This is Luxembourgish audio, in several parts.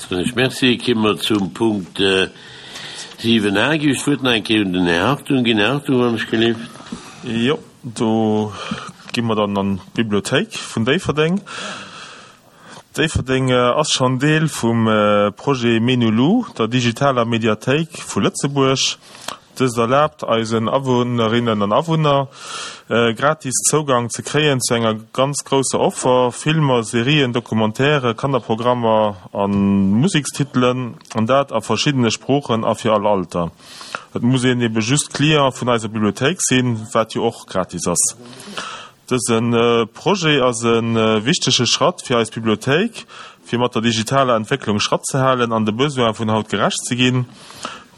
Soen ech Merci. Ki mer zum Punkt 7 a. Ginn ech d'Wuert nach eng Kéier un den Här Hartung ginn. Här Hartung, wann ech gelift. Jo, do gi mer dann an d'Bibliothéik vun Déifferdeng. Déifferdeng ass schonn Deel vum Projet Menulu, der digitaler Mediathéik vu Lëtzebuerg. Dëst erlaabt eisen Awunnerinnen an Awunner, gratis Zougang ze kréien zu enger ganz grousser Offer, Filmer, Serien, Documentaire, Kannerprogrammer a Musekstitelen, an dat a verschiddene Sproochen a fir all Alter. Et muss een ebe just Client vun eiser Bibliothéik sinn, wat jo och gratis ass. Dëse Projet ass e wichtege Schratt fir eis Bibliothéik, fir mat der digitaler Entwécklung Schratt ze halen an de Besoine vun haut gerecht ze ginn.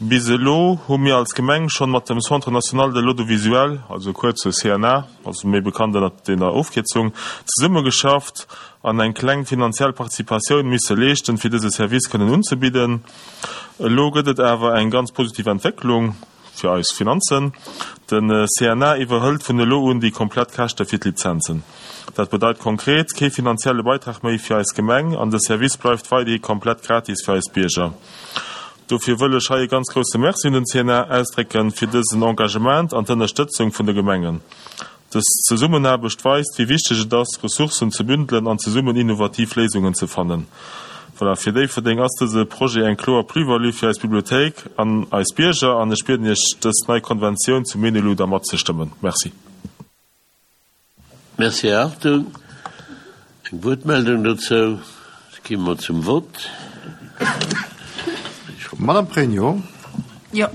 Bis elo hu mir als Gemeng schonn mat dem Centre national de l'audiovisuel, also kuerz CNA, also méi bekannt ënnert dener Ofkierzung, zesummegeschafft an eng kleng finanziell Participatioun misse leeschten, fir dëse Service kënnen unzebidden. Elo gëtt et awer eng ganz positiv Entwécklung. Fir eis Finanzen. Den CNA iwwerhëlt vun elo un déi komplett Käschte fir d'Lizenzen. Dat bedeit konkret, kee finanzielle Beitrag méi fir eis Gemeng an de Service bleift weiderhi komplett gratis fir eis Bierger. Dofir wëll ech hei e ganz grousse Merci un den CNA ausdrécken fir dësen Engagement an d'Ënnerstëtzung vun de Gemengen. Dës Zesummenaarbecht weist, wéi wichteg et ass, Ressourcen ze bündelen an zesummen innovativ Léisungen ze fannen. Voilà, fir Déifferdeng ass dëse Projet eng kloer Plus-value fir eis Bibliothéik an eis Bierger an ech bieden Iech, dës nei Konventioun zum Menelu da matzestëmmen. Merci. Merci, Här Hartung. Eng Wuertmeldung dozou? Da gi mer zum Vott. Madame Pregno. Jo.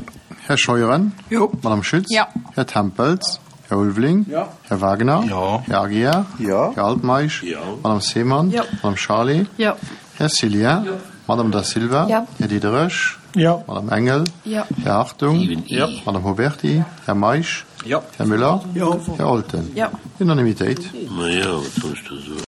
Här Scheuren. Jo. Madame Schütz. Jo. Här Tempels. Här Ulveling. Jo. Här Wagner. Jo. Här Aguiar. Jo. Här Altmeisch. Jo. Madame Seemann. Jo. Madame Charlé. Jo. Här Cillien. Jo. Madame Da Silva. Jo. Här Diderich. Jo. Madame Engel. Jo. Här Hartung. Jo. Madame Huberty. Här Meisch. Jo. Här Müller. Jo. Här Olten. Jo. Unanimitéit. Ma jo, wat soll ech da soen?